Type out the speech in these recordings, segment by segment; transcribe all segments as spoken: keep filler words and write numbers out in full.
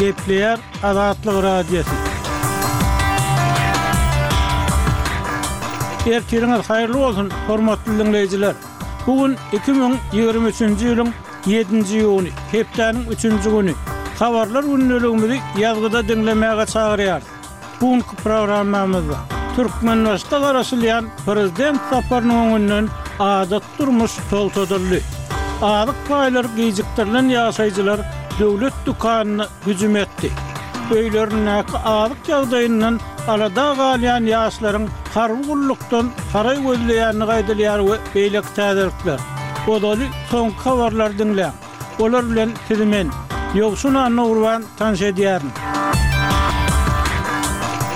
Gepleýär Azatlyk Radiosy. Ertiriňiz haýyrly bolsun, hormatly diňleýjiler! Bu gün iki müň ýigrimi üçünji ýylyň ýedinji iýuny, hepdäniň üçünji güni. Habarlar gündeligimizi ýazgyda diňlemäge çagyrýarys. Bu günki programmamyzda Türkmenbaşyda garaşylýan prezident saparynyň öňünden adaty durmuş togtadyldy. Azyk paýlary gijikdirilen ýaşaýjylar döwlet dükanyna hüjüm etdi. Öýlerindäki azyk ýagdaýyndan alada galýan ýaşlaryň harby gullukdan haraý gözleýändigi aýdylýar we beýleki täzelikler. Ozaly soňky habarlary diňläň. Olar bilen sizi men, Ýowşan Annagurban tanyş edýärin.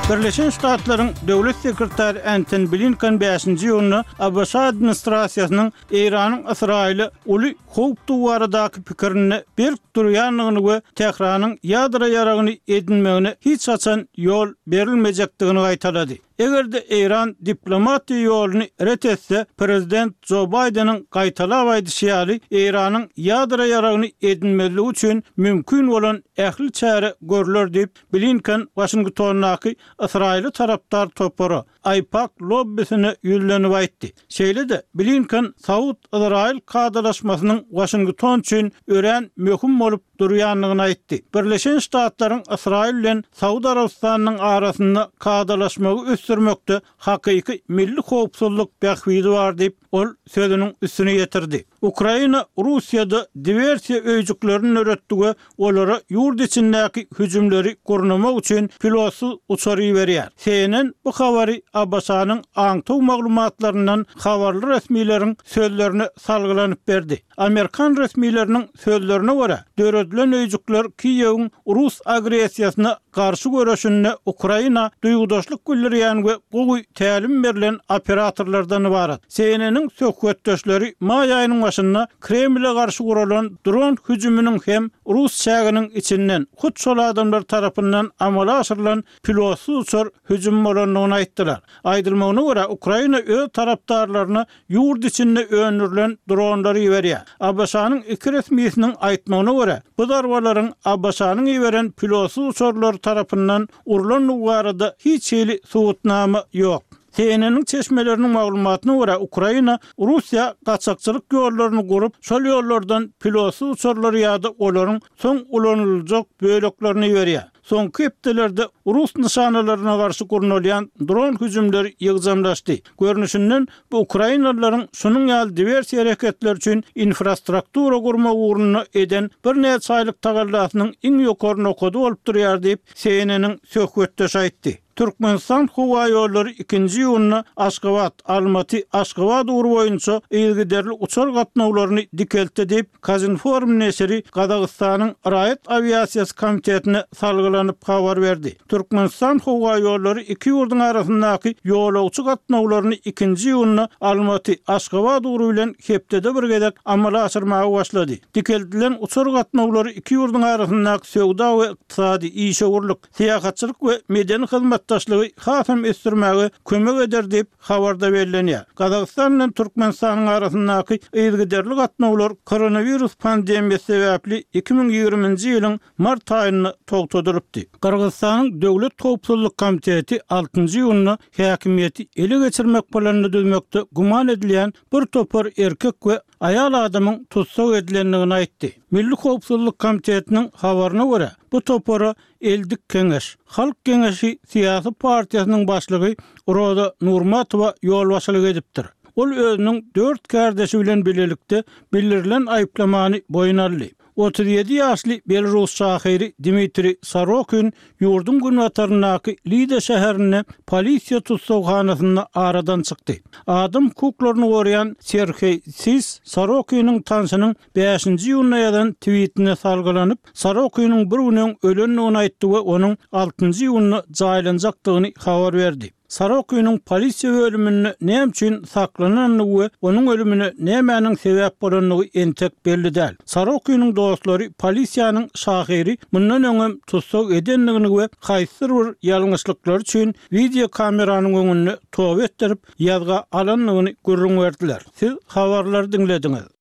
Birleşen Ştatlaryň Döwlet sekretary Entoni Blinken bäşinji iýunda ABŞ administrasiýasynyň Eýranyň Ysraýyla uly howpdugy baradaky pikirinde berk durýandygyny we Tähranyň ýadro ýaragyny edinmegine hiç haçan ýol berilmejekdigini gaýtalady. Eger-de Eýran diplomatiýa ýoluny ret etse, prezident Jo Baýdeniň gaýtalap aýdyşy ýaly, Eýranyň ýadro ýaragyny edinmezligi üçin mümkin bolan ähli çäre görler diýip, Blinken Waşingtondaky ysraýyla tarapdar topara, AIPAC lobbisine ýüzlenip aýtdy. Şeýle-de, Blinken Saud-Yzraýyl kadalaşmasynyň Waşington üçin örän möhüm bolup durýandygyny aýtdy. Birleşen Ştatlaryň Ysraýyl bilen Saud Arabystanynyň arasynda kadalaşmagy ösdürmekde hakyky milli howpsuzlyk bähbidi bar diýip, ol sözüniň üstüni ýetirdi. Ukraina Russiýada diwersiýa öýjüklerini döretdi we olara ýurt içindäki hüjümleri gurnamak üçin pilotsyz uçar iberýär. C N N bu habary A B Ş-nyň aňtaw maglumatlaryndan habarly resmileriň sözlerine salgylanyp berdi. Amerikan resmileriniň sözlerine görä, döredilen öýjükler Kiýewiň rus agressiýasyna garşy göreşinde Ukraina duýgudaşlyk bildirýän we gowy tälim berlen operatorlardan ybarat. C N N-iň söhbetdeşleri maý aýynyň başynda Kremle garşy guralan dron hüjüminiň hem rus çäginiň içinden hut şol adamlar tarapyndan amala aşyrylan pilotsyz uçar hüjüm bolandygyny aýtdylar. Aýdylmagyna görä, Ukraina öz tarapdarlaryna ýurt içinde öndürilen dronlary iberýär. A B Ş-nyň iki resmisiniň aýtmagyna görä, bu zarbalaryň A B Ş-nyň iberen pilotsyz uçarlary tarapyndan urlandygy barada hiç hili subutnama ýok. C N N-iň çeşmeleriniň maglumatyna görä, Ukraina Russiýa gaçakçylyk ýollaryny gurup, şol ýollardan pilotsyz uçarlary ýa-da olaryň soň ulanyljak böleklerini iberýär. Soňky hepdelerde rus nyşanalaryna garşy gurnalýan dron hüjümleri ýygjamlaşdy. Görnüşinden, bu ukrainalylaryň şunuň ýaly diwersiýa hereketleri üçin infrastruktura gurmak ugrunda eden birnäçe aýlyk tagallasynyň iň ýokary nokady bolup durýar diýip, C N N-iň söhbetdeşi aýtdy. Türkmenistan howaýollary ikinji iýunda Aşgabat, Almaty, Aşgabat ugry boýunça yzygiderli uçar gatnawlaryny dikeltdi diýip, Kazinform neşiri Gazagystanyň Raýat awiasiýasy komitetine salgylanyp habar berdi. Türkmenistan howaýollary iki ýurduň arasyndaky ýolagçy gatnawlaryny ikinji iýunda Almaty, Aşgabat ugry bilen hepdede bir gezek amala aşyrmaga başlady. Dikeldilen uçar gatnawlary iki ýurduň arasyndaky söwda we ykdysady, işewürlik, syýahatçylyk we medeni hyzmatdaşlygy hasam ösdürmäge kömek eder diýip, habarda bellenýär. Gazagystan bilen Türkmenistanyň arasyndaky yzygiderli gatnawlar koronawirus pandemiýasy sebäpli iki müň ýigriminji ýylyň mart aýynda togtadylypdy. Gyrgyzystanyň Döwlet howpsuzlyk komiteti altynjy iýunda häkimiýeti ele geçirmek planyny düzmekde güman edilýän bir topar erkek we aýal adamyň tussag edilendigini aýtdy. Milli howpsuzlyk komitetiniň habaryna görä, bu topara Eldik Keňeş, Halk Geňeşi syýasy partiýasynyň başlygy Roza Nurmatowa ýolbaşçylyk edipdir. Ol özüniň dört kärdeşi bilen bilelikde bildirilen aýyplamany boýun aldy. Otuz ýedi ýaşly belarus şahyry Dmitriý Sorokin ýurduň günbataryndaky Lida şäherinde polisiýa tussaghanasynda aradan çykdy. Adam hukuklaryny goraýan Serheý Sis Sorokiniň tanşynyň bäşinji iýunda ýazan twitine salgylanyp, Sorokiniň bir gün öň ölendigini aýtdy we onuň altynjy iýunda jaýlanjakdygyny habar berdi. Sorokiniň polisiýa bölüminde näme üçin saklanandygy we onuň ölümine nämäniň sebäp bolandygy entek belli däl. Sorokiniň dostlary polisiýanyň şahyry mundan öňem tussag edendigini we haýsydyr bir ýalňyşlyklary üçin wideo kameranyň öňünde toba etdirip, ýazga alandygyny gürrüň berdiler. Siz habarlary diňlediňiz.